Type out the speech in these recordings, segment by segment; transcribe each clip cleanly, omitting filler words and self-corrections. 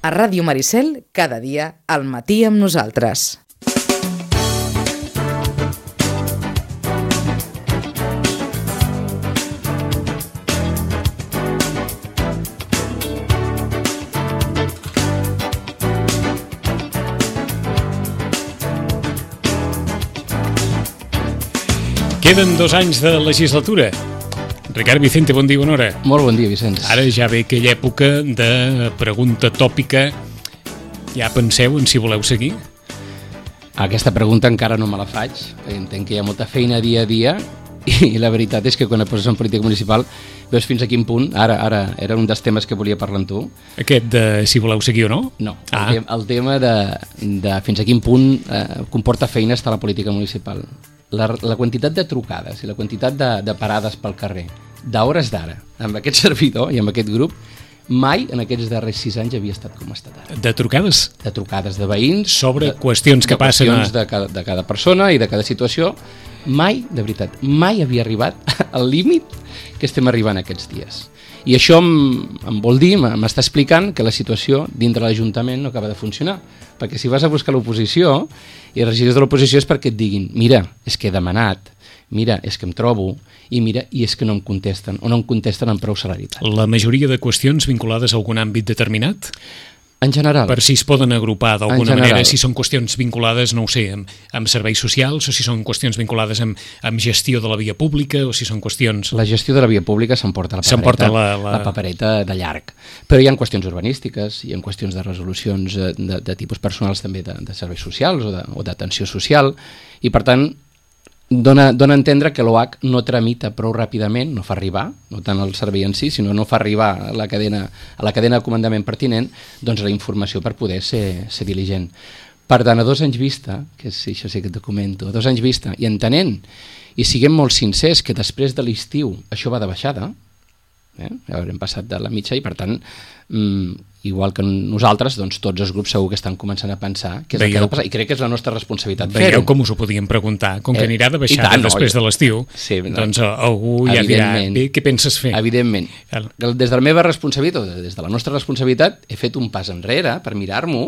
A Ràdio Maricel, cada dia, al matí amb nosaltres. Queden 2 anys de legislatura. Ricard Vicente, bon dia, bona hora. Molt bon dia, Vicenç. Ara ja ve aquella època de pregunta tòpica. Ja penseu en si voleu seguir? Aquesta pregunta encara no me la faig. Entenc que hi ha molta feina dia a dia i la veritat és que quan et poses en política municipal veus fins a quin punt. Ara era un dels temes que volia parlar amb tu. Aquest de si voleu seguir o no? No, el tema de fins a quin punt comporta feina estar a la política municipal. La quantitat de trucades i la quantitat de parades pel carrer, d'hores d'ara, amb aquest servidor i amb aquest grup, mai en aquests darrers 6 anys havia estat com ha estat ara. De trucades? De trucades de veïns. Sobre qüestions que passen. Qüestions de cada persona i de cada situació. Mai, de veritat, mai havia arribat al límit que estem arribant aquests dies. I això em vol dir, m'està explicant que la situació dintre l'Ajuntament no acaba de funcionar. Perquè si vas a buscar l'oposició, i els regidors de l'oposició és perquè et diguin mira, és que he demanat, mira, és que em trobo, i mira, i és que no em contesten, o no em contesten amb prou celeritat. La majoria de qüestions vinculades a algun àmbit determinat? En general. Per si es poden agrupar d'alguna manera, si són qüestions vinculades, no ho sé, amb serveis socials, o si són qüestions vinculades amb gestió de la via pública, o si són qüestions... La gestió de la via pública s'emporta la papereta de llarg. Però hi ha qüestions urbanístiques, hi ha qüestions de resolucions de tipus personals també de serveis socials o d'atenció social, i per tant dona a entendre que l'OH no tramita prou ràpidament, no fa arribar, no tant el servei en si, sinó no fa arribar a la cadena de comandament pertinent, doncs la informació per poder ser diligent. Per tant, a 2 anys vista, que això sí que et comento, a 2 anys vista, i entenent, i siguem molt sincers que després de l'estiu això va de baixada, haurem passat de la mitja i per tant, igual que nosaltres, doncs tots els grups segur que estan començant a pensar què és el que ha de passar, i crec que és la nostra responsabilitat fer-ho. Veieu com us ho podíem preguntar, com que anirà de baixada després de l'estiu, doncs algú ja dirà, bé, què penses fer? Evidentment. Des de la meva responsabilitat, des de la nostra responsabilitat, he fet un pas enrere per mirar-m'ho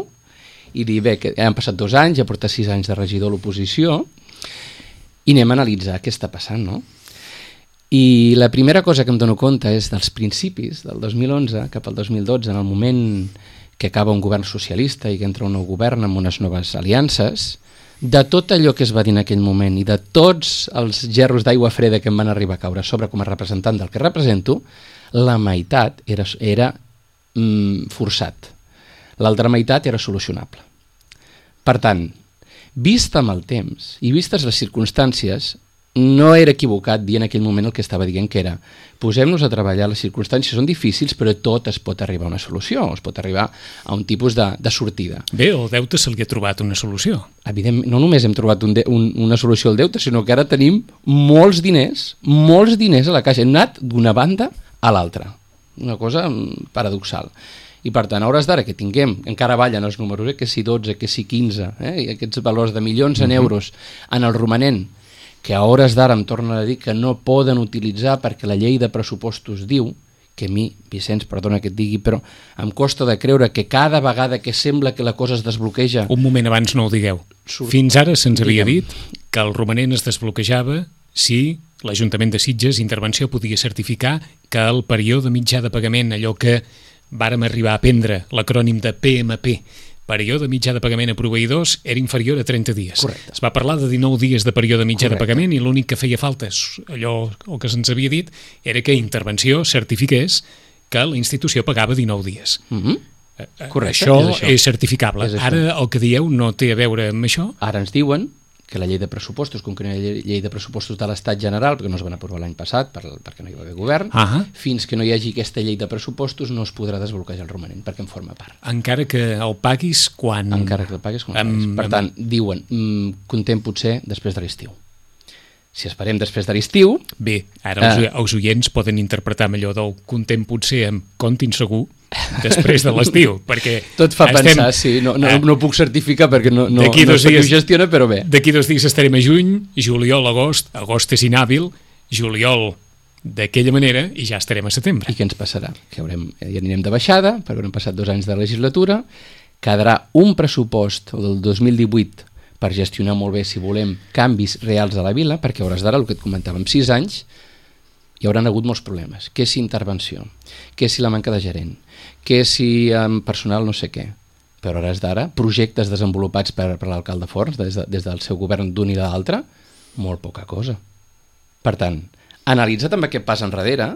i dir, bé, que han passat 2 anys, ja porta 6 anys de regidor a l'oposició, i anem a analitzar què està passant, no? I la primera cosa que em dono compte és dels principis del 2011 cap al 2012, en el moment que acaba un govern socialista i que entra un nou govern amb unes noves aliances, de tot allò que es va dir en aquell moment i de tots els gerros d'aigua freda que em van arribar a caure sobre com a representant del que represento, la meitat era forçat. L'altra meitat era solucionable. Per tant, vist amb el temps i vistes les circumstàncies, no era equivocat dir en aquell moment el que estava dient, que era posem-nos a treballar, les circumstàncies són difícils però tot es pot arribar a una solució, es pot arribar a un tipus de sortida. Bé, al deute se li ha trobat una solució. Evidentment, no només hem trobat una solució al deute, sinó que ara tenim molts diners a la caixa, hem anat d'una banda a l'altra, una cosa paradoxal. I per tant, a hores d'ara que tinguem, encara ballen els números, que si 12, que si 15, i aquests valors de milions en euros en el romanent, que a hores d'ara em tornen a dir que no poden utilitzar perquè la llei de pressupostos diu, que a mi, Vicenç, perdona que et digui, però em costa de creure que cada vegada que sembla que la cosa es desbloqueja... Un moment abans no ho digueu. Fins ara se'ns havia dit que el romanent es desbloquejava si l'Ajuntament de Sitges Intervenció podia certificar que el període mitjà de pagament, allò que vàrem arribar a aprendre, l'acrònim de PMP, període mitjà de pagament a proveïdors, era inferior a 30 dies. Correcte. Es va parlar de 19 dies de període mitjà de pagament i l'únic que feia falta, allò el que se'ns havia dit, era que Intervenció certifiqués que la institució pagava 19 dies. Correcte, això és certificable. Ara el que dieu no té a veure amb això? Ara ens diuen que la llei de pressupostos, com que no hi ha llei de pressupostos de l'Estat general, perquè no es van aprovar l'any passat, perquè no hi va haver govern, fins que no hi hagi aquesta llei de pressupostos no es podrà desbloquejar el romanent, perquè en forma part. Encara que el paguis quan... Encara que el paguis quan paguis. Per tant, diuen, contem potser després de l'estiu. Si esperem després de l'estiu... Bé, ara els oients poden interpretar millor del contem potser amb comptin segur després de l'estiu, perquè... Tot fa pensar, sí, no puc certificar perquè no sé qui ho gestiona, però bé. D'aquí 2 dies estarem a juny, juliol, agost és inhàbil, juliol d'aquella manera i ja estarem a setembre. I què ens passarà? Que ja anirem de baixada, perquè haurem passat 2 anys de legislatura, quedarà un pressupost del 2018 per gestionar molt bé, si volem, canvis reals a la vila, perquè a hores d'ara, el que et comentàvem, 6 anys, hi hauran hagut molts problemes. Què si intervenció? Què si la manca de gerent? Què si amb personal no sé què? Però a hores d'ara, projectes desenvolupats per l'alcalde Forns des del seu govern d'un i de l'altre, molt poca cosa. Per tant, analitzat amb aquest pas enrere,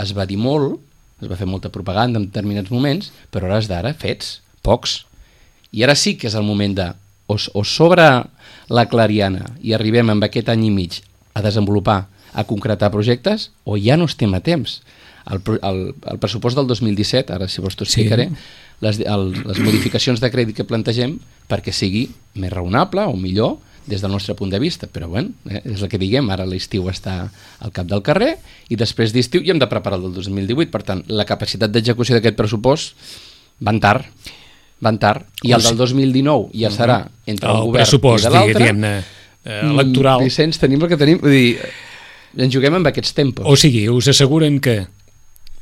es va dir molt, es va fer molta propaganda en determinats moments, però a hores d'ara, fets, pocs. I ara sí que és el moment de o sobre la Clariana i arribem amb aquest any i mig a desenvolupar, a concretar projectes, o ja no estem a temps. El pressupost del 2017, ara si vols t'ho explicaré, les modificacions de crèdit que plantegem perquè sigui més raonable o millor des del nostre punt de vista, però bueno, és el que diguem, ara l'estiu està al cap del carrer i després d'estiu ja hem de preparar el del 2018, per tant, la capacitat d'execució d'aquest pressupost van tard, i el del 2019 ja serà entre el govern i de l'altre. Diguem-ne, electoral. Vicenç, tenim el que tenim, vull dir, ens juguem amb aquests tempos. O sigui, us asseguren que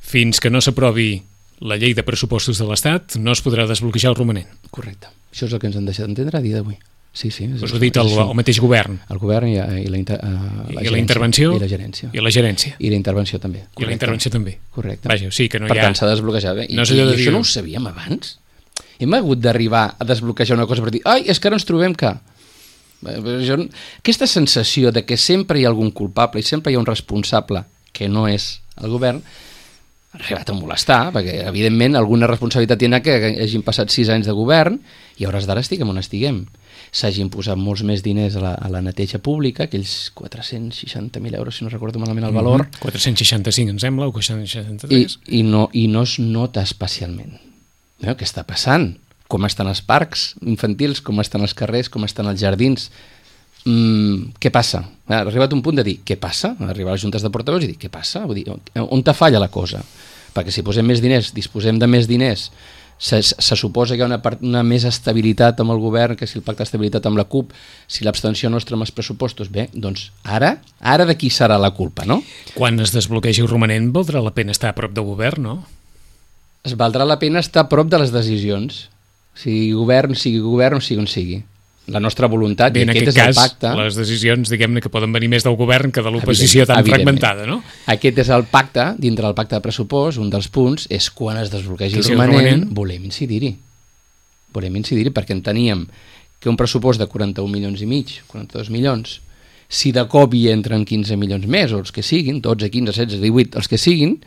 fins que no s'aprovi la llei de pressupostos de l'Estat no es podrà desbloquejar el romanent. Correcte. Això és el que ens han deixat d'entendre a dia d'avui. Sí. Us ho ha dit el mateix govern. El govern i la intervenció. I la gerència. I la gerència. I la intervenció també. Correcte. I la intervenció també. Correcte. Vaja, sí que no per tant, s'ha de desbloquejar bé. I això no ho sabíem abans? Hem hagut d'arribar a desbloquejar una cosa per dir, ai, és que ara ens trobem que... Aquesta sensació de que sempre hi ha algun culpable i sempre hi ha un responsable que no és el govern ha arribat a molestar, perquè evidentment alguna responsabilitat tindrà que hagin passat 6 anys de govern i a hores d'ara estiguem on estiguem. S'hagin posat molts més diners a la neteja pública, aquells 460.000 euros, si no recordo malament el valor. 465, em sembla, o 463. I no es nota especialment. Què està passant? Com estan els parcs infantils, com estan els carrers, com estan els jardins? Què passa? Ha arribat un punt de dir, què passa? Arribar a les juntes de portaveus i dir, què passa? Vull dir, on te falla la cosa? Perquè si posem més diners, disposem de més diners, se suposa que hi ha una més estabilitat amb el govern, que si el pacte d'estabilitat amb la CUP, si l'abstenció nostra amb els pressupostos, bé, doncs ara de qui serà la culpa, no? Quan es desbloquegi el romanent, valdrà la pena estar a prop del govern, no? Es valdrà la pena estar a prop de les decisions, sigui govern o sigui on sigui. La nostra voluntat, bé, i aquest és el pacte... les decisions, diguem-ne, que poden venir més del govern que de l'oposició tan fragmentada, no? Aquest és el pacte, dintre del pacte de pressupost, un dels punts és quan es desbloquegi el romanent, volem incidir-hi. Perquè enteníem que un pressupost de 41 milions i mig, 42 milions, si de cop hi entren 15 milions més, o els que siguin, 12, 15, 16, 18, els que siguin,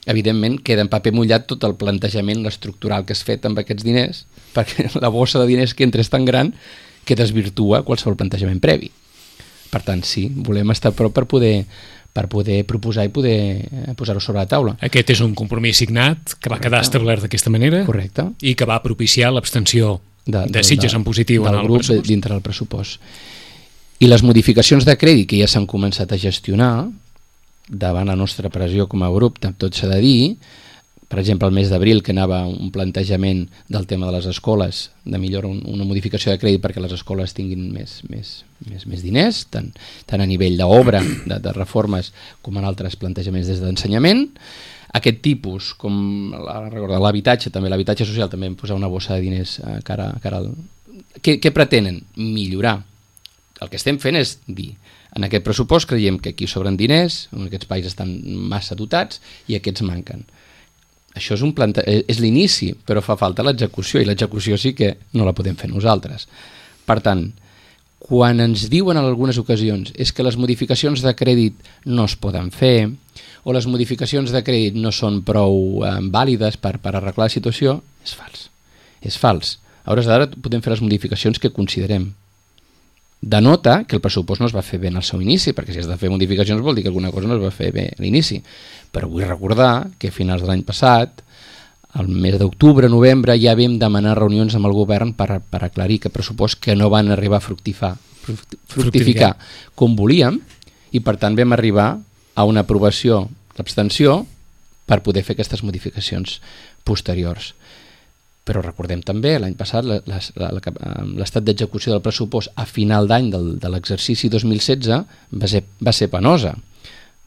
evidentment queda en paper mullat tot el plantejament estructural que has fet amb aquests diners, perquè la bossa de diners que entra és tan gran que desvirtua qualsevol plantejament previ. Per tant, sí, volem estar a prop per poder proposar i poder posar-ho sobre la taula. Aquest és un compromís signat que va quedar establert d'aquesta manera. Correcte. I que va propiciar l'abstenció de Sitges en positiu en el grup pressupost. Dintre del pressupost. I les modificacions de crèdit que ja s'han començat a gestionar davant la nostra pressió com a grup, tot s'ha de dir. Per exemple, el mes d'abril, que anava un plantejament del tema de les escoles, de millora, una modificació de crèdit perquè les escoles tinguin més diners, tant a nivell d'obra, de reformes, com en altres plantejaments des d'ensenyament. Aquest tipus, com l'habitatge, també l'habitatge social, també hem posat una bossa de diners cara al... Què pretenen? Millorar. El que estem fent és dir, en aquest pressupost creiem que aquí sobren diners, aquests països estan massa dotats i aquests manquen. Això és l'inici, però fa falta l'execució, i l'execució sí que no la podem fer nosaltres. Per tant, quan ens diuen en algunes ocasions és que les modificacions de crèdit no es poden fer, o les modificacions de crèdit no són prou vàlides per arreglar la situació, és fals. És fals. A hores d'ara podem fer les modificacions que considerem. Denota que el pressupost no es va fer bé en el seu inici, perquè si has de fer modificacions vol dir que alguna cosa no es va fer bé a l'inici. Però vull recordar que a finals de l'any passat, al mes d'octubre, novembre, ja vam demanar reunions amb el govern per aclarir que pressupost que no van arribar a fructificar com volíem, i per tant vam arribar a una aprovació d'abstenció per poder fer aquestes modificacions posteriors. Però recordem també, l'any passat, l'estat d'execució del pressupost a final d'any de l'exercici 2016 va ser penosa.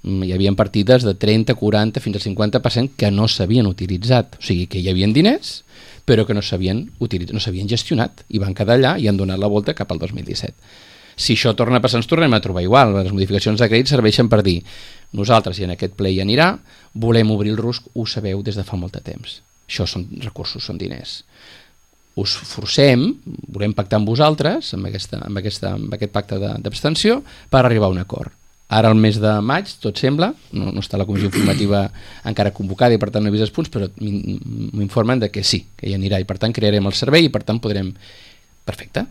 Hi havia partides de 30, 40, fins al 50% que no s'havien utilitzat. O sigui, que hi havia diners, però que no s'havien gestionat i van quedar allà i han donat la volta cap al 2017. Si això torna a passar, ens tornem a trobar igual. Les modificacions de crèdit serveixen per dir nosaltres, i en aquest ple hi anirà, volem obrir el RUSC, ho sabeu des de fa molt de temps. Això són recursos, són diners. Us forcem, volem pactar amb vosaltres, amb aquest pacte d'abstenció, per arribar a un acord. Ara, al mes de maig, tot sembla, no està la comissió informativa encara convocada i per tant no he vist els punts, però m'informen de que sí, que hi anirà i per tant crearem el servei i per tant podrem... Perfecte,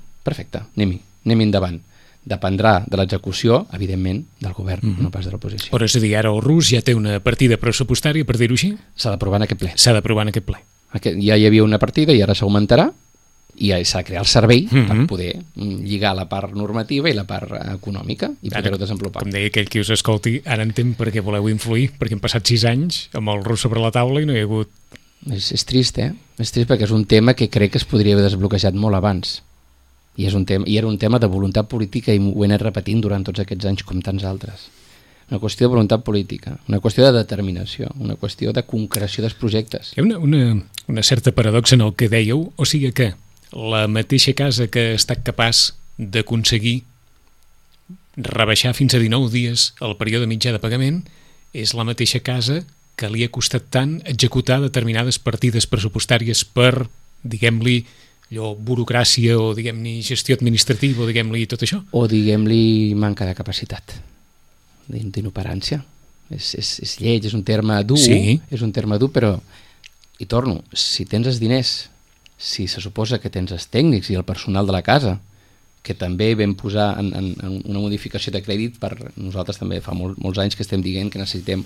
anem endavant. Dependrà de l'execució, evidentment, del govern, no pas de l'oposició. Però és a dir, ara el RUS ja té una partida pressupostària, per dir-ho així? S'ha d'aprovar en aquest ple. S'ha d'aprovar en aquest ple. Ja hi havia una partida i ara s'augmentarà i s'ha de crear el servei per poder lligar la part normativa i la part econòmica i poder-ho desenvolupar. Com deia aquell qui us escolti, ara entenc per què voleu influir, perquè han passat 6 anys amb el RUS sobre la taula i no hi ha hagut... És trist, És trist perquè és un tema que crec que es podria haver desbloquejat molt abans. I era un tema de voluntat política i ho he anat repetint durant tots aquests anys com tants altres. Una qüestió de voluntat política, una qüestió de determinació, una qüestió de concreció dels projectes. Hi ha una certa paradoxa en el que dèieu, o sigui que la mateixa casa que ha estat capaç d'aconseguir rebaixar fins a 19 dies el període mitjà de pagament és la mateixa casa que li ha costat tant executar determinades partides pressupostàries per, diguem-li, allò, burocràcia o, diguem-li, gestió administrativa o, diguem-li, tot això? O, diguem-li, manca de capacitat, d'inoperància. És lleig, és un terme dur, sí. És un terme dur, però, hi torno, si tens els diners, si se suposa que tens els tècnics i el personal de la casa, que també vam posar en una modificació de crèdit per nosaltres també fa molts anys que estem dient que necessitem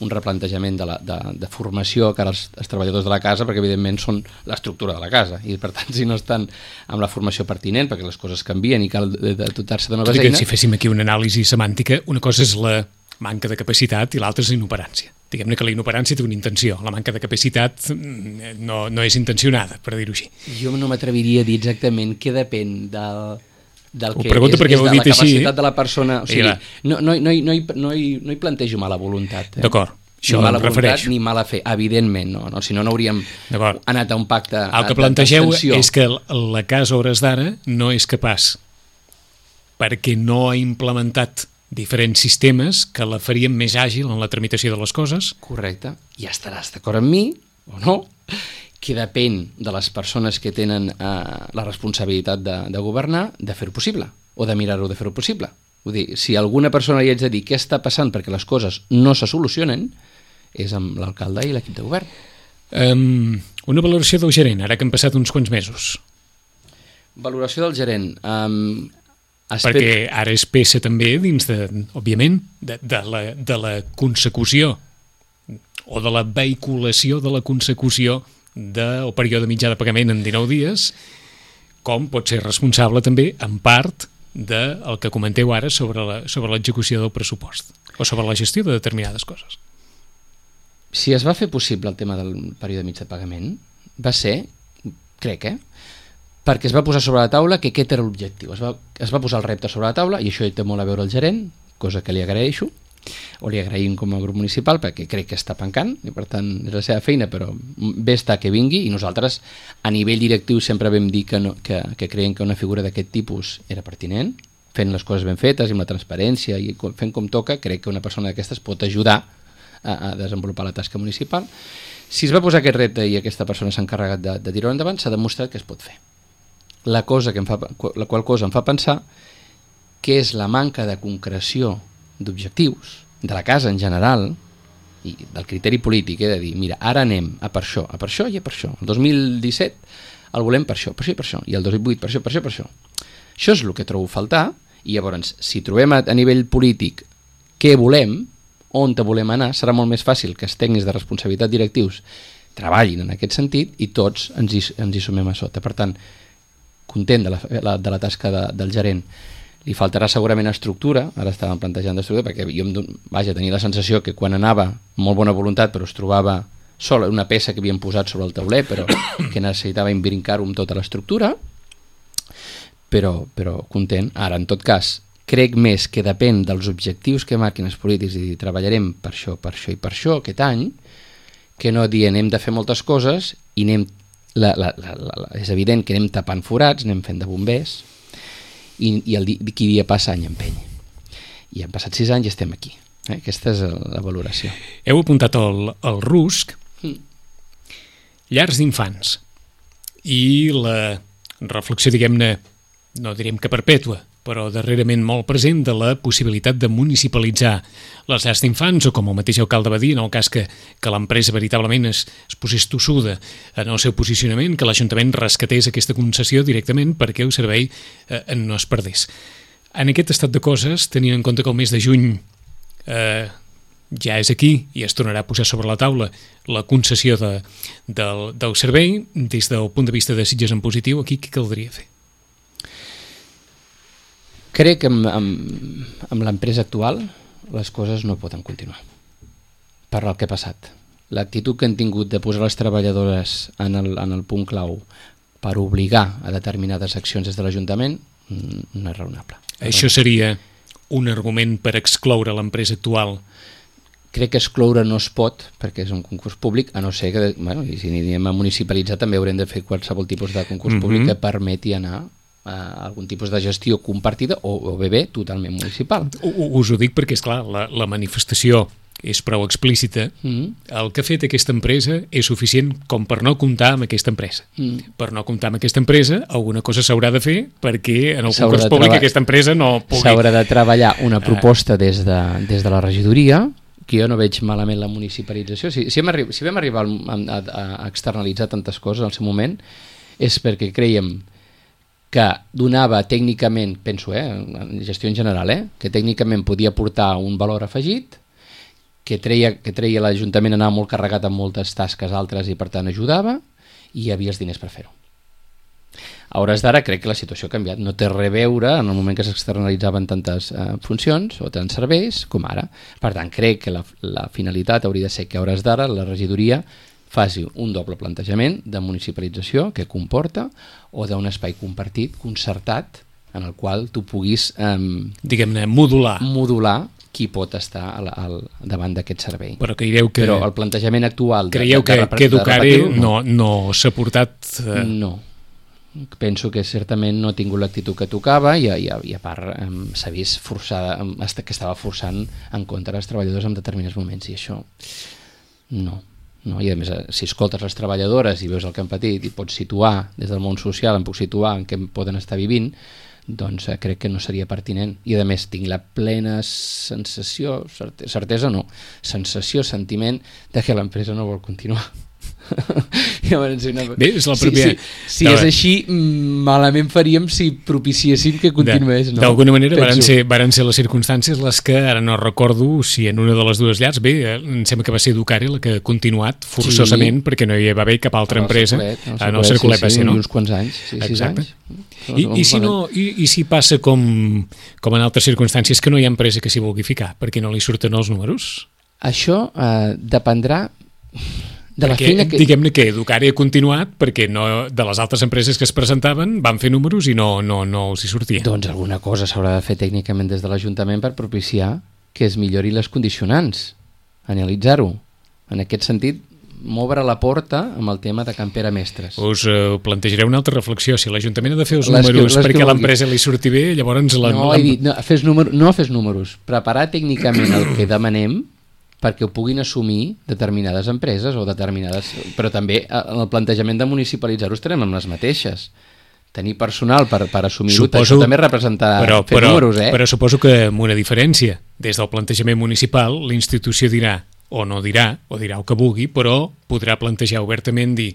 un replantejament de formació cara als treballadors de la casa perquè evidentment són l'estructura de la casa i per tant si no estan amb la formació pertinent perquè les coses canvien i cal dotar-se de noves eines... Si féssim aquí una anàlisi semàntica, una cosa és la manca de capacitat i l'altra és la inoperància. Diguem-ne que la inoperància té una intenció, la manca de capacitat no és intencionada, per dir-ho així. Jo no m'atreviria a dir exactament què depèn del que és de la capacitat així. De la persona, o sigui, no hi plantejo mala voluntat. D'acord, això ni mala em refereixo. Voluntat ni mala fe, evidentment, si no hauríem anat a un pacte. El que plantegeu és que la casa a hores d'ara no és capaç perquè no ha implementat diferents sistemes que la farien més àgil en la tramitació de les coses. Correcte, i estaràs d'acord amb mi o no, que depèn de les persones que tenen la responsabilitat de governar, de fer-ho possible, o de mirar-ho de fer-ho possible. Vull dir, si alguna persona li haig de dir què està passant perquè les coses no se solucionen, és amb l'alcalde i l'equip de govern. Una valoració del gerent, ara que han passat uns quants mesos. Valoració del gerent... perquè ara és peça també dins, òbviament, de la consecució o de la vehiculació de la consecució del període mitjà de pagament en 19 dies, com pot ser responsable també, en part, del que comenteu ara sobre l'execució del pressupost o sobre la gestió de determinades coses. Si es va fer possible el tema del període mitjà de pagament, va ser, crec, perquè es va posar sobre la taula que aquest era l'objectiu. Es va posar el repte sobre la taula i això hi té molt a veure el gerent, cosa que li agraeixo, o li agraïm com a grup municipal perquè crec que està pencant i per tant és la seva feina, però bé està que vingui i nosaltres a nivell directiu sempre vam dir que creiem que una figura d'aquest tipus era pertinent, fent les coses ben fetes i amb la transparència i fent com toca, crec que una persona d'aquestes pot ajudar a desenvolupar la tasca municipal. Si es va posar aquest repte i aquesta persona s'ha encarregat de tirar-ho endavant, s'ha demostrat que es pot fer. La qual cosa em fa pensar que és la manca de concreció d'objectius de la casa en general i del criteri polític, de dir, mira, ara anem a per això i a per això. El 2017 el volem per això i per això, i el 2008 per això. Això és el que trobo a faltar, i llavors, si trobem a nivell polític què volem, on te volem anar, serà molt més fàcil que els tècnics de responsabilitat directius treballin en aquest sentit i tots ens hi sumem a sota. Per tant, content de la tasca del gerent. Li faltarà segurament estructura, ara estàvem plantejant d'estructura, perquè jo tenia la sensació que quan anava molt bona voluntat però es trobava sola una peça que havien posat sobre el tauler però que necessitava imbrincar-ho amb tota l'estructura, però content. Ara, en tot cas, crec més que depèn dels objectius que marquin els polítics i treballarem per això, per això i per això aquest any, que no dir anem de fer moltes coses i anem, és evident que anem tapant forats, anem fent de bombers i qui dia passa any empeny. I han passat 6 anys i estem aquí. Aquesta és la valoració. Heu apuntat el RUSC, llars d'infants, i la reflexió, diguem-ne, no direm que perpètua, però darrerament molt present de la possibilitat de municipalitzar les llars d'infants, o com el mateix alcalde va dir, en el cas que l'empresa veritablement es posés tossuda en el seu posicionament, que l'Ajuntament rescatés aquesta concessió directament perquè el servei no es perdés. En aquest estat de coses, tenint en compte que el mes de juny ja és aquí i es tornarà a posar sobre la taula la concessió del servei, des del punt de vista de Sitges en positiu, aquí què caldria fer? Crec que amb l'empresa actual les coses no poden continuar per el que ha passat. L'actitud que han tingut de posar les treballadores en el punt clau per obligar a determinades accions des de l'Ajuntament no és raonable. Això seria un argument per excloure l'empresa actual? Crec que excloure no es pot, perquè és un concurs públic, a no ser que, bueno, i si anem a municipalitzar també haurem de fer qualsevol tipus de concurs públic que permeti anar a algun tipus de gestió compartida o bé totalment municipal. Us ho dic perquè, esclar, la manifestació és prou explícita. El que ha fet aquesta empresa és suficient com per no comptar amb aquesta empresa. Per no comptar amb aquesta empresa, alguna cosa s'haurà de fer perquè en el concurs públic aquesta empresa no pugui... S'haurà de treballar una proposta des de la regidoria, que jo no veig malament la municipalització. Si vam arribar a externalitzar tantes coses al seu moment, és perquè creiem que donava tècnicament, penso, en gestió en general, que tècnicament podia portar un valor afegit, que treia l'Ajuntament anar molt carregat amb moltes tasques altres i per tant ajudava, i hi havia els diners per fer-ho. A hores d'ara crec que la situació ha canviat, no té res a veure en el moment que s'externalitzaven tantes funcions o tants serveis com ara. Per tant, crec que la finalitat hauria de ser que a hores d'ara la regidoria faci un doble plantejament de municipalització que comporta o d'un espai compartit, concertat, en el qual tu puguis diguem-ne, modular qui pot estar davant d'aquest servei. Però Però el plantejament actual... Creieu que Educare no s'ha portat... No. Penso que certament no ha tingut l'actitud que tocava i a part s'ha vist forçada, que estava forçant en contra dels treballadors en determinats moments, i això no. I a més, si escoltes les treballadores i veus el que han patit i pots situar des del món social, em puc situar en què poden estar vivint, doncs crec que no seria pertinent. I a més tinc la plena sensació, certesa no, sensació, sentiment de que l'empresa no vol continuar. Bé, és la pròpia... Si és així, malament faríem si propiciéssim que continués. D'alguna manera varen ser les circumstàncies les que, ara no recordo si en una de les dues llars, bé, em sembla que va ser Educare la que ha continuat forçosament perquè no hi va haver cap altra empresa. En el Cercolet va ser, no? Uns quants anys, 6 anys. I si passa com en altres circumstàncies que no hi ha empresa que s'hi vulgui ficar perquè no li surten els números? Això dependrà de la feina que... Diguem-ne que Educare ha continuat perquè de les altres empreses que es presentaven van fer números i no els hi sortia. Doncs alguna cosa s'haurà de fer tècnicament des de l'Ajuntament per propiciar que es millori les condicionants, analitzar-ho. En aquest sentit, m'obre la porta amb el tema de Can Pere Mestres. Us plantejaré una altra reflexió. Si l'Ajuntament ha de fer els números perquè a l'empresa li surti bé, llavors... No fes números, preparar tècnicament el que demanem perquè ho puguin assumir determinades empreses o determinades... Però també en el plantejament de municipalitzar-ho estarem amb les mateixes. Tenir personal per assumir-ho, això també representa fer números, Però suposo que amb una diferència. Des del plantejament municipal, la institució dirà, o no dirà, o dirà el que vulgui, però podrà plantejar obertament dir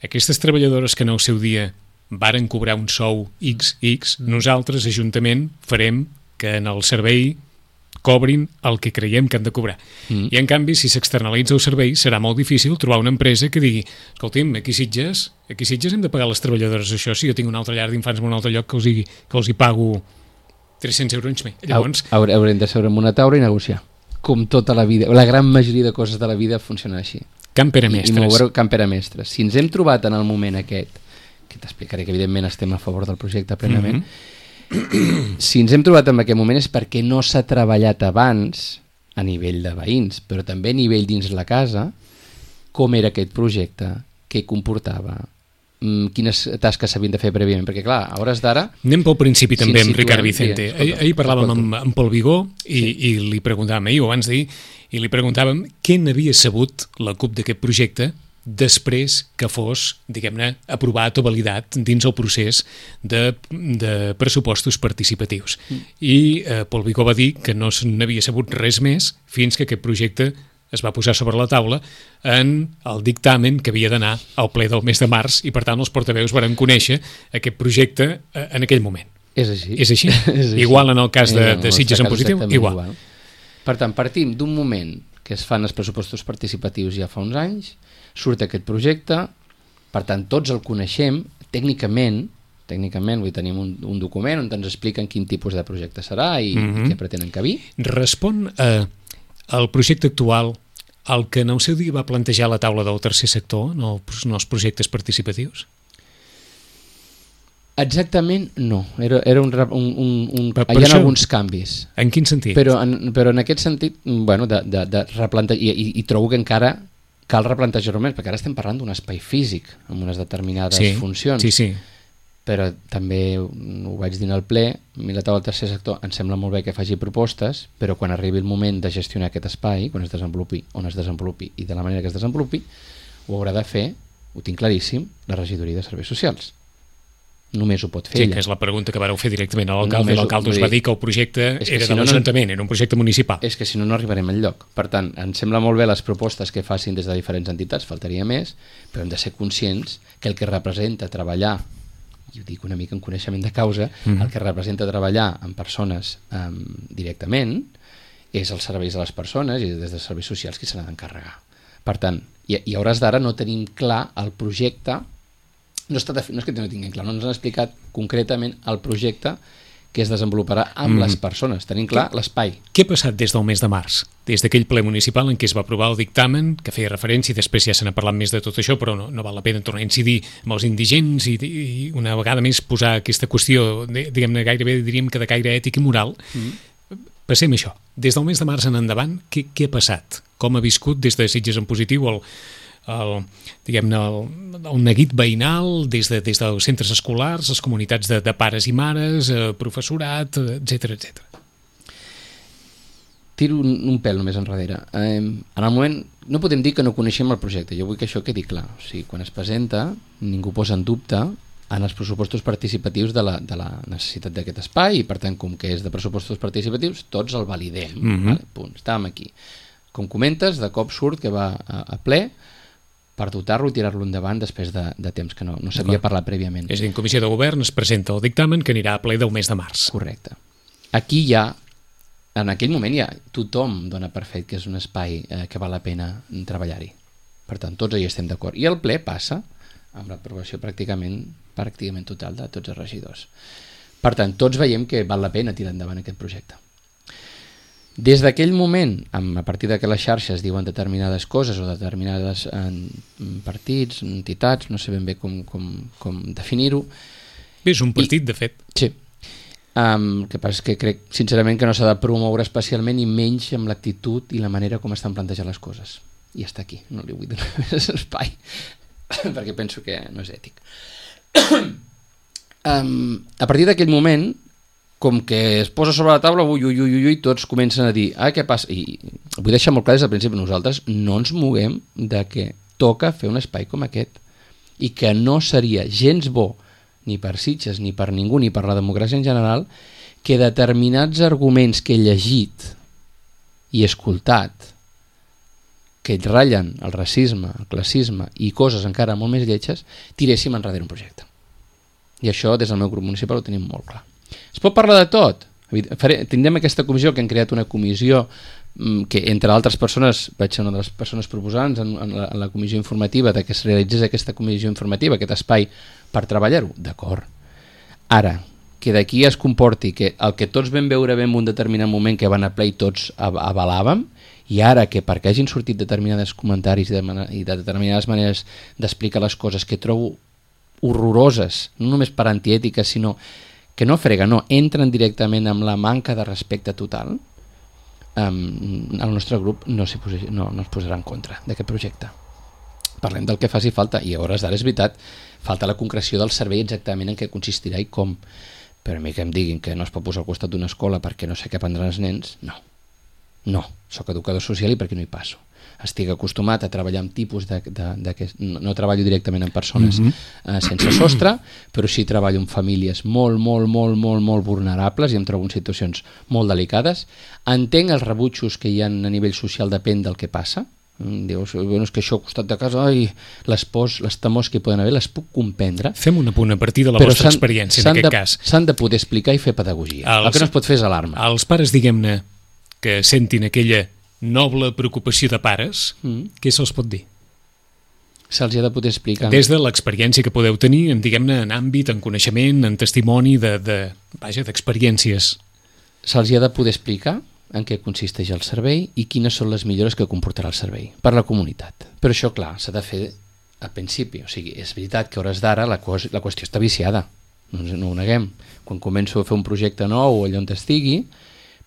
aquestes treballadores que en el seu dia varen cobrar un sou XX, nosaltres, Ajuntament, farem que en el servei cobrin el que creiem que han de cobrar. I en canvi, si s'externalitza el servei, serà molt difícil trobar una empresa que digui, escolti'm, aquí a Sitges hem de pagar les treballadores això, si jo tinc una altra llar d'infants en un altre lloc que els hi pago 300 euros més. Llavors... Haurem de seure en una taula i negociar. Com tota la vida, la gran majoria de coses de la vida funcionen així. Can Pere Mestres. I moure Can Pere Mestres. Si ens hem trobat en el moment aquest, que t'explicaré que evidentment estem a favor del projecte plenament, Si ens hem trobat en aquest moment és perquè no s'ha treballat abans a nivell de veïns, però també a nivell dins la casa, com era aquest projecte, què comportava, quines tasques s'havien de fer prèviament, perquè clar, a hores d'ara... Anem pel principi també amb Ricard Vicente. Ahir parlàvem amb Pol Vigó i li preguntàvem, ahir o abans d'ahir, i li preguntàvem què n'havia sabut la CUP d'aquest projecte després que fos, diguem-ne, aprovat o validat dins el procés de pressupostos participatius. I Pol Vigó va dir que no n'havia sabut res més fins que aquest projecte es va posar sobre la taula en el dictamen que havia d'anar al ple del mes de març i, per tant, els portaveus varen conèixer aquest projecte en aquell moment. És així. És així? Igual en el cas de Sitges en positiu? Igual. Per tant, partim d'un moment que es fan els pressupostos participatius ja fa uns anys, surt aquest projecte, per tant, tots el coneixem, tècnicament, vull tenim un document on ens expliquen quin tipus de projecte serà i què pretenen cabir. Respon el projecte actual el que en el seu dia va plantejar la taula del tercer sector en els projectes participatius? Exactament no. Hi ha alguns canvis. En quin sentit? Però en aquest sentit, bueno, de replantejar, i trobo que encara cal replantejar-ho més, perquè ara estem parlant d'un espai físic amb unes determinades funcions. Sí. Però també ho vaig dir al ple, a mi la taula del tercer sector em sembla molt bé que faci propostes, però quan arribi el moment de gestionar aquest espai, quan es desenvolupi, on es desenvolupi i de la manera que es desenvolupi, ho haurà de fer, ho tinc claríssim, la regidoria de serveis socials. Només ho pot fer ella. Sí, que és la pregunta que vareu fer directament a l'alcalde, i l'alcalde us va dir que el projecte era de l'Ajuntament, era un projecte municipal. És que si no, no arribarem enlloc. Per tant, em sembla molt bé les propostes que facin des de diferents entitats, faltaria més, però hem de ser conscients que el que representa treballar, i ho dic una mica en coneixement de causa, el que representa treballar amb persones directament és els serveis de les persones i des de serveis socials qui se n'ha d'encarregar. Per tant, i a hores d'ara no tenim clar el projecte, no és que no tinguem clar, no ens han explicat concretament el projecte que es desenvoluparà amb les persones. Tenim clar l'espai. Què ha passat des del mes de març? Des d'aquell ple municipal en què es va aprovar el dictamen, que feia referència, i després ja se n'ha parlat més de tot això, però no val la pena tornar a incidir amb els indigents i una vegada més posar aquesta qüestió, diguem-ne, gairebé diríem que de caire ètic i moral. Passem això. Des del mes de març en endavant, què ha passat? Com ha viscut des de Sitges en positiu el neguit veïnal des dels centres escolars, les comunitats de pares i mares, professorat, etc. Tiro un pèl només enrere. En el moment, no podem dir que no coneixem el projecte, jo vull que això quedi clar. O sigui, quan es presenta, ningú posa en dubte en els pressupostos participatius de la necessitat d'aquest espai i, per tant, com que és de pressupostos participatius, tots el validem. Vale? Punt. Estàvem aquí. Com comentes, de cop surt que va a ple per dotar-lo i tirar-lo endavant després de temps que no s'havia parlat prèviament. És a dir, en comissió de govern es presenta el dictamen que anirà a ple del mes de març. Correcte. Aquí ja, en aquell moment ja tothom dona per fet que és un espai que val la pena treballar-hi. Per tant, tots hi estem d'acord. I el ple passa amb l'aprovació pràcticament total de tots els regidors. Per tant, tots veiem que val la pena tirar endavant aquest projecte. Des d'aquell moment, a partir que les xarxes diuen determinades coses o determinades partits, entitats, no sé ben bé com definir-ho. Bé, és un partit, de fet. Sí. El que passa és que crec, sincerament, que no s'ha de promoure especialment i menys amb l'actitud i la manera com estan plantejant les coses. I està aquí, no li vull donar més espai, perquè penso que no és ètic. A partir d'aquell moment, com que es posa sobre la taula, tots comencen a dir què passa? I vull deixar molt clar des del principi, nosaltres no ens moguem de que toca fer un espai com aquest i que no seria gens bo ni per Sitges, ni per ningú, ni per la democràcia en general, que determinats arguments que he llegit i escoltat que ratllen el racisme, el classisme i coses encara molt més lletges, tiréssim enrere un projecte. I això des del meu grup municipal ho tenim molt clar. Es pot parlar de tot. Tindrem aquesta comissió, que hem creat una comissió que, entre altres persones, vaig ser una de les persones proposants en la comissió informativa de que es realitzés aquesta comissió informativa, aquest espai per treballar-ho. D'acord. Ara, que d'aquí es comporti que el que tots vam veure en un determinat moment que van a ple i tots avalàvem, i ara que perquè hagin sortit determinats comentaris i de determinades maneres d'explicar les coses que trobo horroroses, no només per antiètiques, sinó que no frega, no, entren directament amb la manca de respecte total, el nostre grup no es posarà en contra d'aquest projecte. Parlem del que faci falta, i a hores d'ara és veritat, falta la concreció del servei exactament en què consistirà i com. Però a mi que em diguin que no es pot posar al costat d'una escola perquè no sé què aprendran els nens, no, soc educador social i per què no hi passo? Estic acostumat a treballar amb tipus no treballo directament amb persones sense sostre, però sí treballo amb famílies molt vulnerables i em trobo en situacions molt delicades. Entenc els rebutjos que hi ha a nivell social, depèn del que passa. Dius, bueno, és que això al costat de casa, les pors, les temors que hi poden haver, les puc comprendre. Fem un apunt a partir de la vostra experiència en aquest cas. S'han de poder explicar i fer pedagogia. El que no es pot fer és alarma. Els pares, diguem-ne, que sentin aquella noble preocupació de pares, què se'ls pot dir? Se'ls ha de poder explicar. Des de l'experiència que podeu tenir, diguem-ne, en àmbit, en coneixement, en testimoni d'experiències. Se'ls ha de poder explicar en què consisteix el servei i quines són les millores que comportarà el servei per la comunitat. Però això, clar, s'ha de fer al principi. O sigui, és veritat que a hores d'ara la qüestió està viciada, no ho neguem. Quan començo a fer un projecte nou o allà on estigui,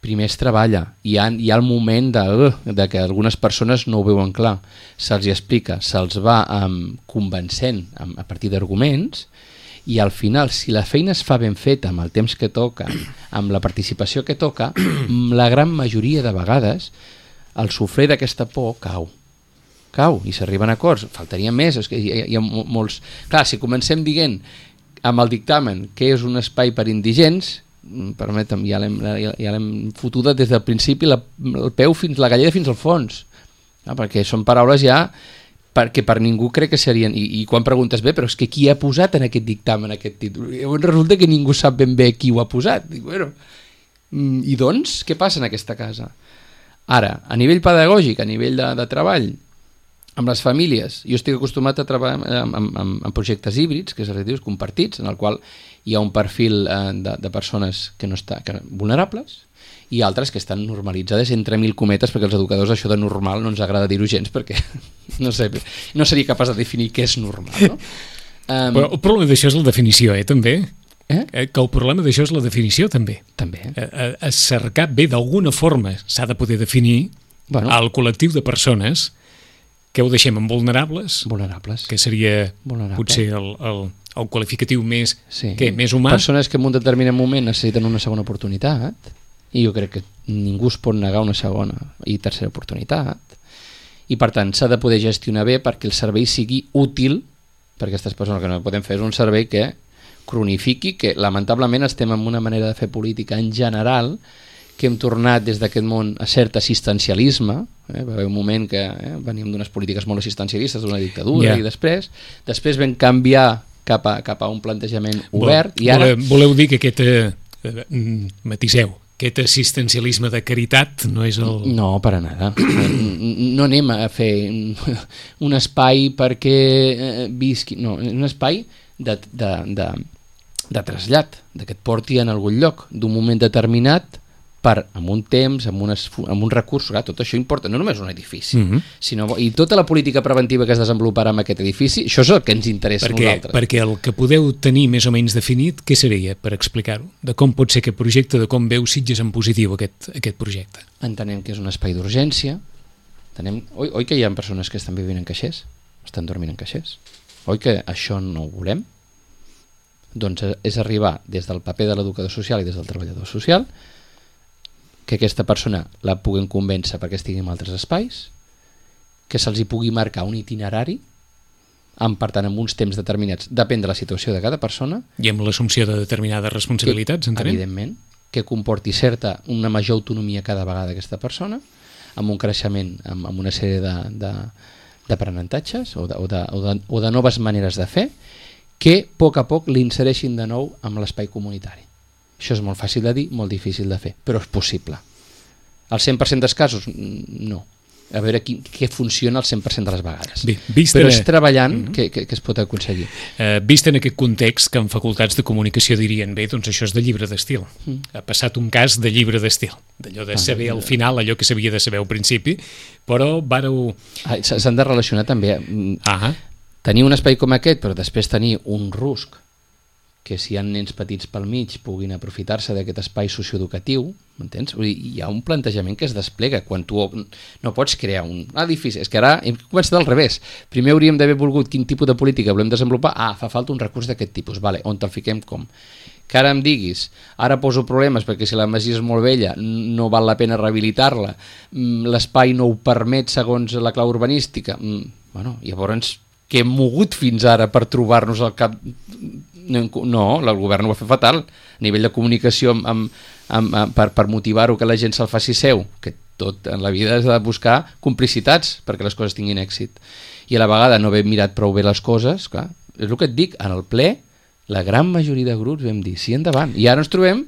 primer es treballa. Hi ha el moment de que algunes persones no ho veuen clar. Se'ls explica, se'ls va convencent a partir d'arguments, i al final, si la feina es fa ben feta amb el temps que toca, amb la participació que toca, la gran majoria de vegades el sofrer d'aquesta por cau i s'arriben a acords. Faltaria més, és que hi ha molts... Clar, si comencem dient amb el dictamen que és un espai per indigents, permetem, ja l'hem fotuda des del principi el peu fins la galleda fins al fons, perquè són paraules ja perquè per ningú crec que serien, i quan preguntes bé, però és que qui ha posat en aquest dictamen aquest títol? Llavors resulta que ningú sap ben bé qui ho ha posat. Dic, bueno, i doncs, què passa en aquesta casa? Ara, a nivell pedagògic, a nivell de treball, amb les famílies, jo estic acostumat a treballar amb projectes híbrids, que és relatius compartits, en el qual hi ha un perfil de persones que vulnerables, i altres que estan normalitzades entre mil cometes, perquè els educadors això de normal no ens agrada dir-ho gens, perquè no seria capaç de definir què és normal, no? Però el problema d'això és la definició, també? Que el problema d'això és la definició, també. També. A cercar bé, d'alguna forma s'ha de poder definir el col·lectiu de persones que ho deixem en vulnerables, que seria potser el qualificatiu més humà. Persones que en un determinat moment necessiten una segona oportunitat, i jo crec que ningú es pot negar una segona i tercera oportunitat, i per tant s'ha de poder gestionar bé perquè el servei sigui útil per aquestes persones. Que no podem fer és un servei que cronifiqui, que lamentablement estem en una manera de fer política en general que hem tornat des d'aquest món a cert assistencialisme. Va haver un moment que veníem d'unes polítiques molt assistencialistes, d'una dictadura, i després vam canviar cap a un plantejament obert. I ara... Voleu dir que aquest matiseu, aquest assistencialisme de caritat no és el... No, per a nada. No anem a fer un espai perquè visqui... No, un espai de trasllat, que et porti en algun lloc d'un moment determinat amb un temps, amb un recurs. Clar, tot això importa, no només un edifici, sinó, i tota la política preventiva que es desenvoluparà amb aquest edifici, això és el que ens interessa a nosaltres. Perquè el que podeu tenir més o menys definit, què seria, per explicar-ho? De com pot ser aquest projecte, de com veu Sitges en positiu aquest projecte? Entenem que és un espai d'urgència. Oi que hi ha persones que estan vivint en caixers? Estan dormint en caixers? Oi que això no ho volem? Doncs és arribar des del paper de l'educador social i des del treballador social que aquesta persona la puguem convèncer perquè estigui en altres espais, que se'ls hi pugui marcar un itinerari, per tant, amb uns temps determinats, depèn de la situació de cada persona. I amb l'assumpció de determinades responsabilitats, entenem? Evidentment, que comporti una major autonomia cada vegada aquesta persona, amb un creixement, amb una sèrie d'aprenentatges o de noves maneres de fer, que a poc l'insereixin de nou amb l'espai comunitari. Això és molt fàcil de dir, molt difícil de fer, però és possible. Al 100% dels casos, no. A veure què funciona al 100% de les vegades. Bé, però és treballant que es pot aconseguir. Vist en aquest context que en facultats de comunicació dirien bé, doncs això és de llibre d'estil. Ha passat un cas de llibre d'estil, d'allò de saber al final allò que s'havia de saber al principi, però vareu... S'han de relacionar també. Tenir un espai com aquest, però després tenir un rusc que si hi ha nens petits pel mig puguin aprofitar-se d'aquest espai socioeducatiu, m'entens? Hi ha un plantejament que es desplega quan tu no pots crear un edifici. És que ara hem començat al revés. Primer hauríem d'haver volgut quin tipus de política volem desenvolupar. Fa falta un recurs d'aquest tipus. Vale, on te'l fiquem com? Que ara em diguis, ara poso problemes perquè si la masia és molt vella no val la pena rehabilitar-la, l'espai no ho permet segons la clau urbanística. Bueno, llavors, què hem mogut fins ara per trobar-nos al cap... No, el govern ho va fer fatal a nivell de comunicació per motivar-ho que la gent se'l faci seu, que tot en la vida has de buscar complicitats perquè les coses tinguin èxit, i a la vegada no haver mirat prou bé les coses, clar, és el que et dic, en el ple la gran majoria de grups vam dir sí endavant, i ara ens trobem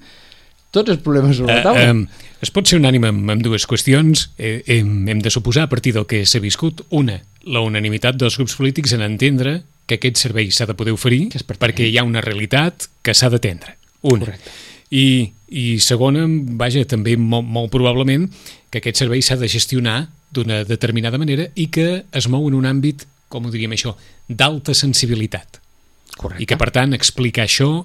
tots els problemes sobre la taula. Es pot ser unànime amb dues qüestions. Hem de suposar a partir del que s'ha viscut, una, la unanimitat dels grups polítics en entendre que aquest servei s'ha de poder oferir perquè hi ha una realitat que s'ha d'atendre. Una. Correcte. I segona, vaja, també molt probablement que aquest servei s'ha de gestionar d'una determinada manera i que es mou en un àmbit, com ho diríem això, d'alta sensibilitat. Correcte. I que, per tant, explicar això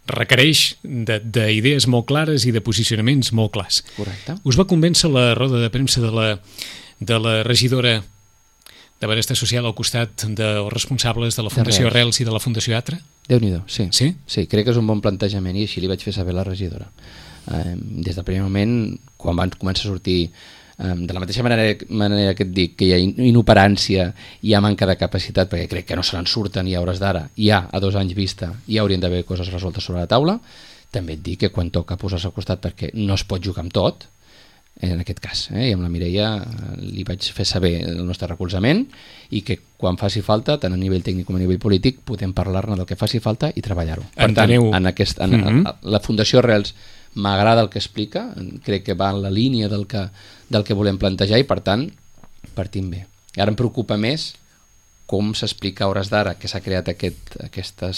requereix d'idees molt clares i de posicionaments molt clars. Correcte. Us va convèncer la roda de premsa de la regidora de Benestar Social al costat dels responsables de la Fundació Arrels i de la Fundació Atra? Déu-n'hi-do, sí. Sí? Sí, crec que és un bon plantejament i així li vaig fer saber a la regidora. Des del primer moment, quan van començar a sortir de la mateixa manera que et dic que hi ha inoperància, hi ha manca de capacitat, perquè crec que no se n'en surten i a hores d'ara, ja a 2 anys vista ja haurien d'haver coses resoltes sobre la taula. També et dic que quan toca posar-se al costat perquè no es pot jugar amb tot, en aquest cas, i amb la Mireia li vaig fer saber el nostre recolzament i que quan faci falta, tant a nivell tècnic com a nivell polític, podem parlar-ne del que faci falta i treballar-ho. Per tant, la Fundació Arrels m'agrada el que explica, crec que va en la línia del que volem plantejar i per tant partim bé. Ara em preocupa més com s'explica a hores d'ara que s'ha creat aquesta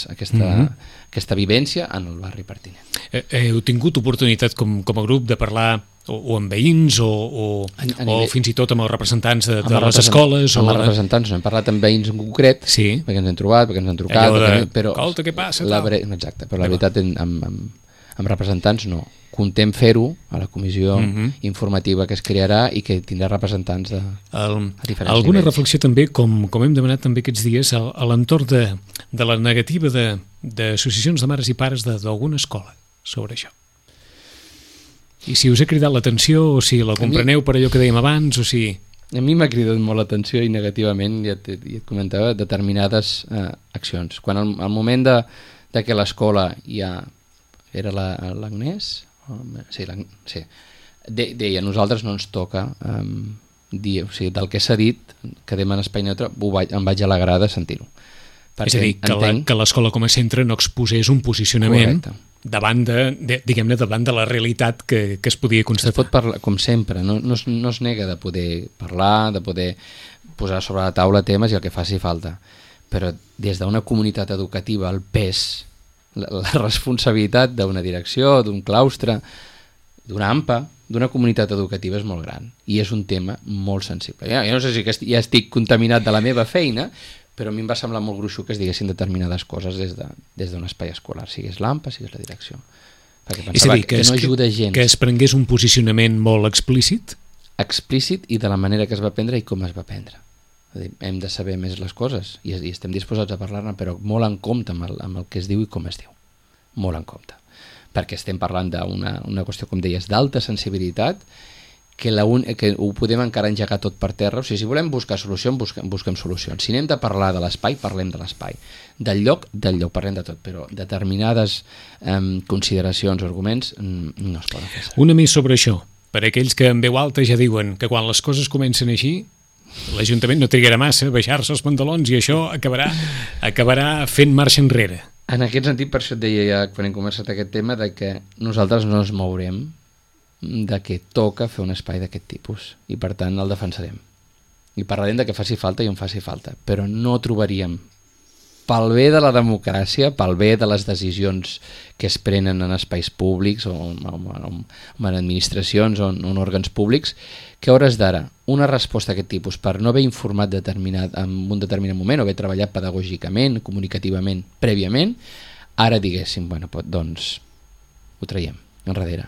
vivència en el barri pertinent. Heu tingut oportunitat com a grup de parlar o amb veïns o fins i tot amb els representants de les escoles? Amb els representants no, hem parlat amb veïns en concret, sí, perquè ens hem trobat, perquè ens han trucat, però escolta, què passa? Exacte, però la veritat amb representants no. Contem fer-ho a la comissió informativa que es crearà i que tindrà representants a diferents alguna nivells. Reflexió també, com hem demanat també aquests dies, a l'entorn de la negativa d'associacions de mares i pares d'alguna escola sobre això. I si us ha cridat l'atenció, o si la compreneu per allò que dèiem abans, o si... A mi m'ha cridat molt l'atenció i negativament, ja et comentava, determinades accions. Quan al moment de que l'escola ja era l'Agnès, sí, deia, nosaltres no ens toca dir, o sigui, del que s'ha dit, que demana espai neutre, em vaig alegrar de sentir-ho. És a dir, que l'escola com a centre no exposés un posicionament davant de la realitat que es podia constatar. Es pot parlar, com sempre, no es nega de poder parlar, de poder posar sobre la taula temes i el que faci falta, però des d'una comunitat educativa el pes, la responsabilitat d'una direcció, d'un claustre, d'una AMPA, d'una comunitat educativa és molt gran i és un tema molt sensible. Jo no sé si ja estic contaminat de la meva feina, però a mi em va semblar molt gruixut que es diguessin determinades coses des d'un espai escolar, sigués l'AMPA, sigués la direcció. Perquè pensava que no ajuda gens. Que es prengués un posicionament molt explícit? Explícit i de la manera que es va prendre i com es va prendre. Hem de saber més les coses i estem disposats a parlar-ne, però molt en compte amb el que es diu i com es diu. Molt en compte. Perquè estem parlant d'una qüestió, com deies, d'alta sensibilitat, que ho podem encara engegar tot per terra. O sigui, si volem buscar solucions, busquem solucions. Si anem de parlar de l'espai, parlem de l'espai. Del lloc, parlem de tot, però determinades consideracions o arguments no es poden fer. Una més sobre això. Per aquells que en veu alta ja diuen que quan les coses comencen així, l'Ajuntament no trigarà massa a baixar-se els pantalons i això acabarà fent marxa enrere. En aquest sentit, per això et deia ja quan hem conversat aquest tema, de que nosaltres no ens mourem de que toca fer un espai d'aquest tipus i per tant el defensarem i parlarem de que faci falta i on faci falta, però no trobaríem, pel bé de la democràcia, pel bé de les decisions que es prenen en espais públics o en administracions o en òrgans públics, que a hores d'ara una resposta d'aquest tipus per no haver informat en un determinat moment o haver treballat pedagògicament, comunicativament, prèviament, ara diguéssim, bueno, doncs ho traiem enrere,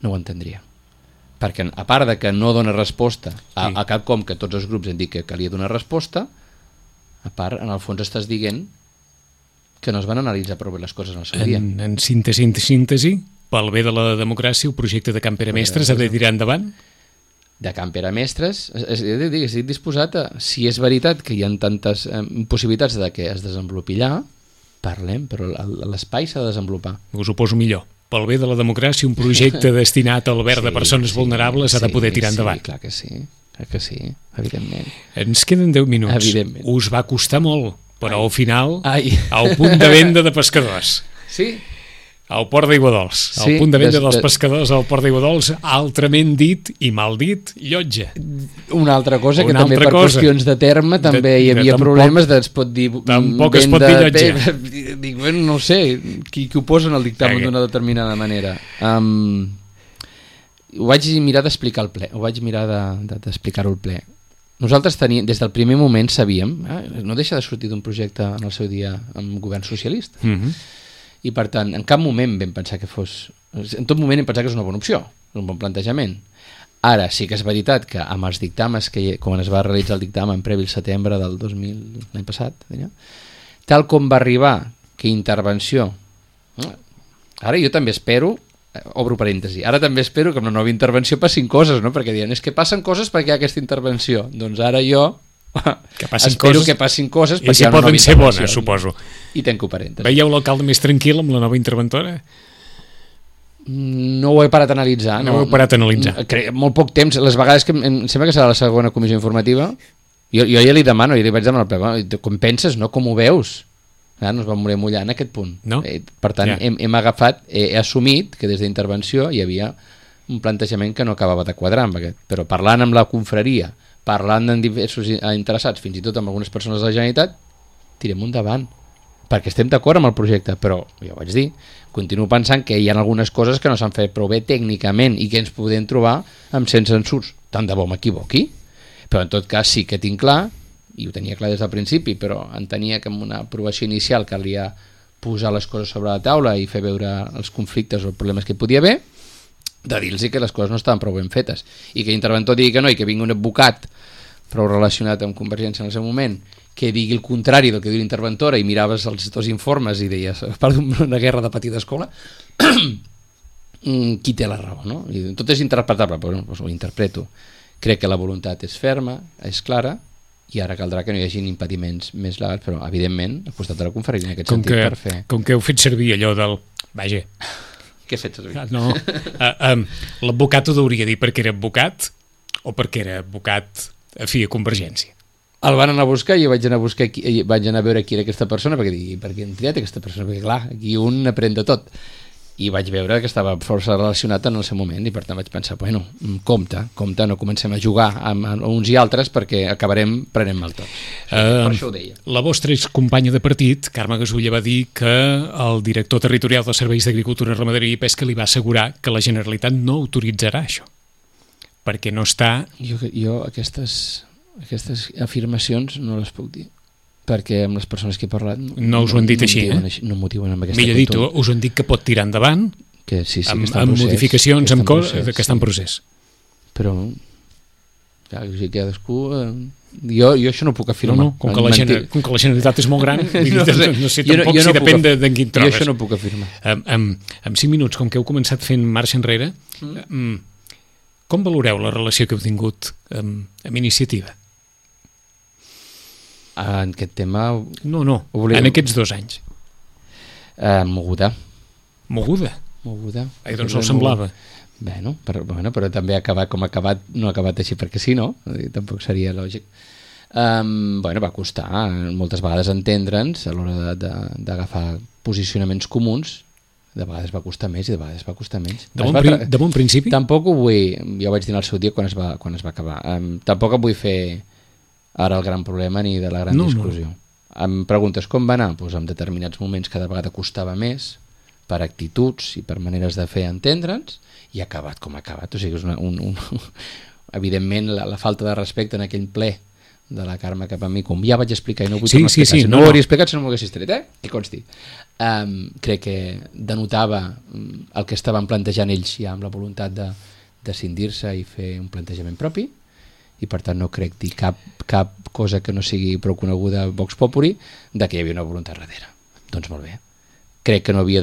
no ho entendria, perquè a part de que no dona resposta a cap com que tots els grups han dit que calia donar resposta, a part, en el fons estàs dient que no es van analitzar prou bé les coses en el seu dia. En síntesi, pel bé de la democràcia, el projecte de Camp Pere Mestres ha de tirar endavant? De Camp Pere Mestres, estic disposat a, si és veritat que hi ha tantes possibilitats de que es desenvolupi allà, parlem, però l'espai s'ha de desenvolupar. Us ho poso millor. Pel bé de la democràcia, un projecte destinat al bé de persones vulnerables ha de poder tirar endavant. Sí, clar que sí, evidentment. Ens queden 10 minuts. Evidentment. Us va costar molt, però al final, al punt de venda de pescadors. Sí. Al Port d'Aiguadols. Al punt de venda dels pescadors al Port d'Aiguadols, altrament dit i mal dit, llotja. Una altra cosa, que també per qüestions de terme també hi havia problemes, es pot dir... Tampoc es pot dir llotja. Dic, bueno, no sé, qui ho posa en el dictamen d'una determinada manera. Ho vaig mirar d'explicar al ple, ho vaig mirar d'explicar-ho al ple. Nosaltres teníem, des del primer moment sabíem, no deixa de sortir d'un projecte en el seu dia amb govern socialista, i per tant, en cap moment vam pensar que fos... En tot moment hem pensat que és una bona opció, és un bon plantejament. Ara sí que és veritat que amb els dictàmens, quan es va realitzar el dictamen previ al setembre del 2000, l'any passat, tal com va arribar, que intervenció... Ara jo també espero, obro parèntesi, ara també espero que amb la nova intervenció passin coses, no? Perquè diuen, és que passen coses perquè hi ha aquesta intervenció. Doncs ara jo... espero que passin coses i si poden ser bones, suposo. I tanco parèntesis. Veieu l'alcalde més tranquil amb la nova interventora? No ho he parat a analitzar. No ho he parat a analitzar. Molt poc temps, les vegades que em sembla que serà la segona comissió informativa, jo ja li demano, li vaig demanar com penses, no? Com ho veus? No es va morir mullar en aquest punt. No? Per tant, hem agafat, he assumit que des d'intervenció hi havia un plantejament que no acabava de quadrar amb aquest, però parlant amb la confraria, parlant amb diversos interessats, fins i tot amb algunes persones de la Generalitat, tirem endavant, perquè estem d'acord amb el projecte, però, ja ho vaig dir, continuo pensant que hi ha algunes coses que no s'han fet prou bé tècnicament i que ens podem trobar amb sense censurs. Tant de bo m'equivoqui, però en tot cas sí que tinc clar, i ho tenia clar des del principi, però entenia que amb una aprovació inicial calia posar les coses sobre la taula i fer veure els conflictes o els problemes que hi podia haver, de dir-los que les coses no estaven prou ben fetes i que l'interventor digui que no i que vingui un advocat prou relacionat amb Convergència en el seu moment que digui el contrari del que diu l'interventora i miraves els dos informes i deies, a part d'una guerra de petita escola, qui té la raó, no? I tot és interpretable, però ho interpreto. Crec que la voluntat és ferma, és clara, i ara caldrà que no hi hagi impediments més legals, però evidentment al costat de la confraria en aquest sentit per fer... Com que heu fet servir allò del... Vaja... Què he fet servir? No, l'advocat ho hauria dit perquè era advocat o perquè era advocat afí a Convergència? El van anar a buscar i jo vaig anar a veure qui era aquesta persona perquè per què han triat aquesta persona? Perquè clar, aquí un aprèn de tot. I vaig veure que estava força relacionat en el seu moment i per tant vaig pensar, bueno, compte, no comencem a jugar amb uns i altres perquè acabarem prenent mal tot. Per això ho deia. La vostra excompanya de partit, Carme Gasulla, va dir que el director territorial dels Serveis d'Agricultura, Ramaderia i Pesca li va assegurar que la Generalitat no autoritzarà això, perquè no està... Jo aquestes afirmacions no les puc dir, perquè amb les persones que he parlat no us ho han dit així, no motiven amb aquesta millor dit, us han dit que pot tirar endavant que sí, que amb modificacions que està en procés, però cadascú jo això no puc afirmar com que la Generalitat és molt gran no sé tampoc si depèn d'en quin trobes. Jo això no puc afirmar. En 5 minuts, com que heu començat fent marxa enrere, com valoreu la relació que heu tingut amb Iniciativa? En aquest tema... No, en aquests 2 anys. Moguda. Ai, doncs no semblava. Bueno, però també ha acabat com ha acabat, no ha acabat així perquè sí, no? Tampoc seria lògic. Va costar moltes vegades entendre'ns a l'hora d'agafar posicionaments comuns. De vegades va costar més i de vegades va costar menys. De bon principi? Tampoc ho vull... Ja ho vaig dir en el seu dia quan es va acabar. Tampoc vull fer ara el gran problema ni de la gran discussió. Em preguntes com va anar? Doncs en determinats moments cada vegada costava més per actituds i per maneres de fer entendre'ns i ha acabat com ha acabat. O sigui, és evidentment la falta de respecte en aquell ple de la Carme cap a mi, com ja vaig explicar i no vull tornar a explicar, si no ho hauria explicat si no m'ho haguessis tret, que consti. Crec que denotava el que estaven plantejant ells ja amb la voluntat de cindir-se i fer un plantejament propi, i per tant no crec dir cap cosa que no sigui prou coneguda a Vox Populi de que hi havia una voluntat darrere. Doncs molt bé. Crec que no havia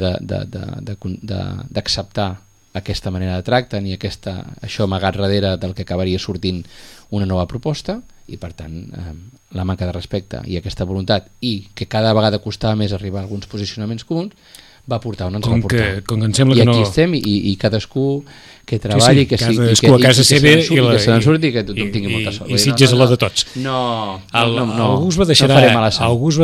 d'acceptar aquesta manera de tracte ni això amagat darrere del que acabaria sortint una nova proposta, i per tant la manca de respecte i aquesta voluntat, i que cada vegada costava més arribar a alguns posicionaments comuns, va portar on ens va portar. Com que em sembla I que aquí estem, i cadascú que treballi, que cadascú a casa seva i que se n'en surti, i que tothom tingui molta sort. I Sitges a la de tots. Algú es va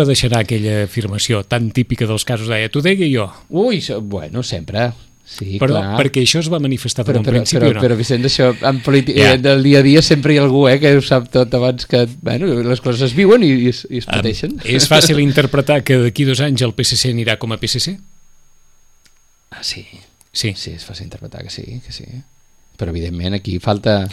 deixar aquella afirmació tan típica dels casos deia, t'ho deia jo. Ui, bueno, sempre. Sí, però clar. Perquè això es va manifestar en principi o no? Però Vicent, això en política del dia a dia sempre hi ha algú que ho sap tot abans que les coses es viuen i es pateixen. És fàcil interpretar que d'aquí 2 anys el PSC anirà com a PSC? Sí, és fàcil interpretar que sí. Però evidentment aquí falta...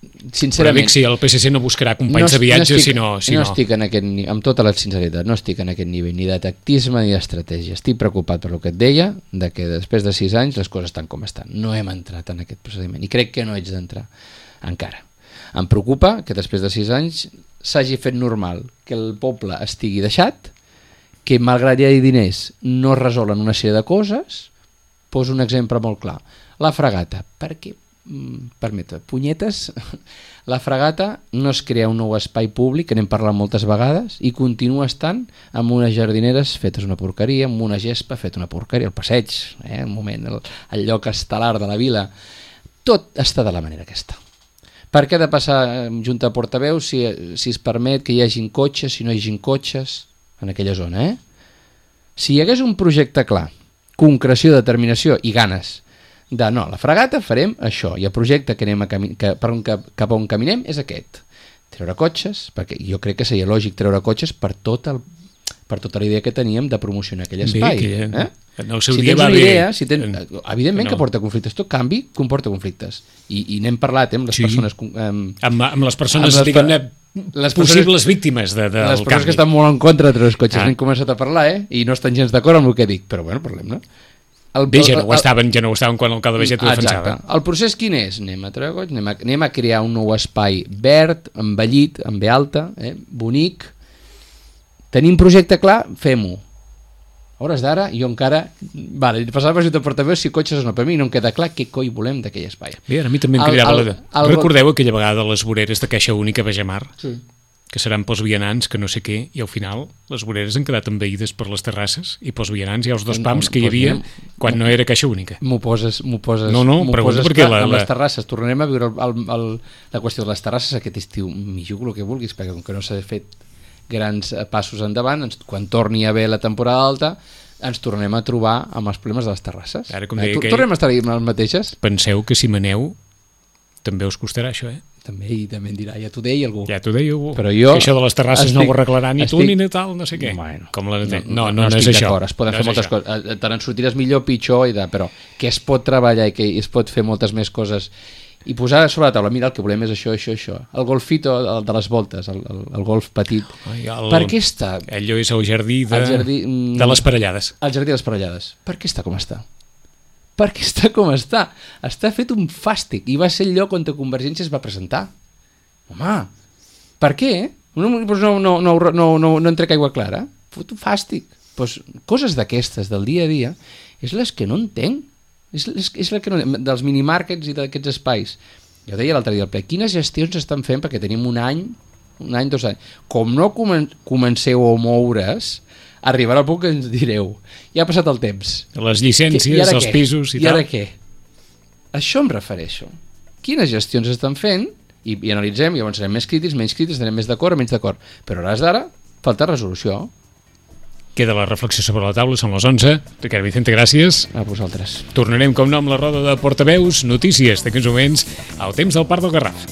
Sincerament, però dic, si el PSC no buscarà companys de viatge, no estic en aquest nivell, amb tota la sinceritat, no estic en aquest nivell ni de tactisme ni d'estratègia. Estic preocupat per el que et deia, de que després de 6 anys les coses estan com estan. No hem entrat en aquest procediment i crec que no haig d'entrar encara. Em preocupa que després de 6 anys s'hagi fet normal que el poble estigui deixat, que malgrat hi hagi diners no es resolen una sèrie de coses. Poso un exemple molt clar. La Fragata. Per què? Permeta, punyetes, la Fragata no es crea un nou espai públic, que n'hem parlat moltes vegades, i continua estant amb unes jardineres fetes una porqueria, amb una gespa feta una porqueria, el passeig, un moment, el lloc estel·lar de la vila, tot està de la manera aquesta. Per què ha de passar junta a portaveus si es permet que hi hagin cotxes, si no hi hagin cotxes en aquella zona, Si hi hagués un projecte clar, concreció, determinació i ganes de no, la Fragata farem això, i el projecte que cap a on caminem és aquest, treure cotxes, perquè jo crec que seria lògic treure cotxes per tota la idea que teníem de promocionar aquell espai. En el seu dia va bé. Evidentment que porta conflictes, tot canvi comporta conflictes, i n'hem parlat amb les persones... Amb les persones, diguem-ne, les possibles víctimes del canvi. Les persones que estan molt en contra de treure els cotxes, n'hem començat a parlar, i no estan gens d'acord amb el que dic, però bueno, parlem, no? Bé, ja no ho estaven quan l'alcalde Baiget ho defensava. Exacte. El procés quin és? Anem a crear un nou espai verd, embellit, amb B alta, bonic. Tenim projecte clar? Fem-ho. A hores d'ara, jo encara... Vale, passava per portaveu si cotxes o no, per mi no em queda clar què coi volem d'aquell espai. Bé, a mi també em cridava recordeu aquella vegada les voreres de Caixa Única a Baixamar? Sí. Que seran pels vianants, que no sé què, i al final les voreres han quedat envaïdes per les terrasses, i pels vianants hi ha els 2 pams que hi havia quan no era Caixa Única. M'ho poses pregunta perquè amb les terrasses. Tornarem a viure la qüestió de les terrasses aquest estiu, m'hi jugo el que vulguis, perquè com que no s'ha fet grans passos endavant, quan torni a haver la temporada alta ens tornem a trobar amb els problemes de les terrasses. Tornem a estar amb les mateixes. Penseu que si maneu també us costarà això, També em dirà, ja t'ho deia algú. Ja t'ho deia algú. Però jo que això de les terrasses no ho arreglarà ni tu ni tal, no sé què. Bueno, com la no és això. Es poden fer moltes coses. Te n'en sortiràs millor, pitjor, però que es pot treballar i que es pot fer moltes més coses i posar sobre la taula, mira, el que volem és això. El golfito de les voltes, el golf petit. Per què està? Allò és el jardí de les Parellades. El jardí de les Parellades. Per què està com està? Perquè està com està. Està fet un fàstic. I va ser el lloc on Convergència es va presentar. Home, per què? No en trec aigua clara. Fot un fàstic. Coses d'aquestes del dia a dia és les que no entenc. És la que no, dels minimarkets i d'aquests espais. Jo deia l'altre dia al ple, quines gestions estan fent perquè tenim un any, 2 anys. Com no comenceu a moure's, arribarà el punt que ens direu ja ha passat el temps. Les llicències, els pisos i tal. I ara què? Això em refereixo. Quines gestions estan fent i analitzem, i llavors serem més crítics, menys crítics, estarem més d'acord o menys d'acord. Però a hores d'ara falta resolució. Queda la reflexió sobre la taula, són les 11. Ricard Vicente, gràcies. A vosaltres. Tornarem, com no, amb la roda de portaveus, notícies d'aquests moments, al temps del Parc del Garraf.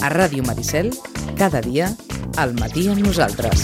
A Ràdio Maricel, cada dia, al matí amb nosaltres.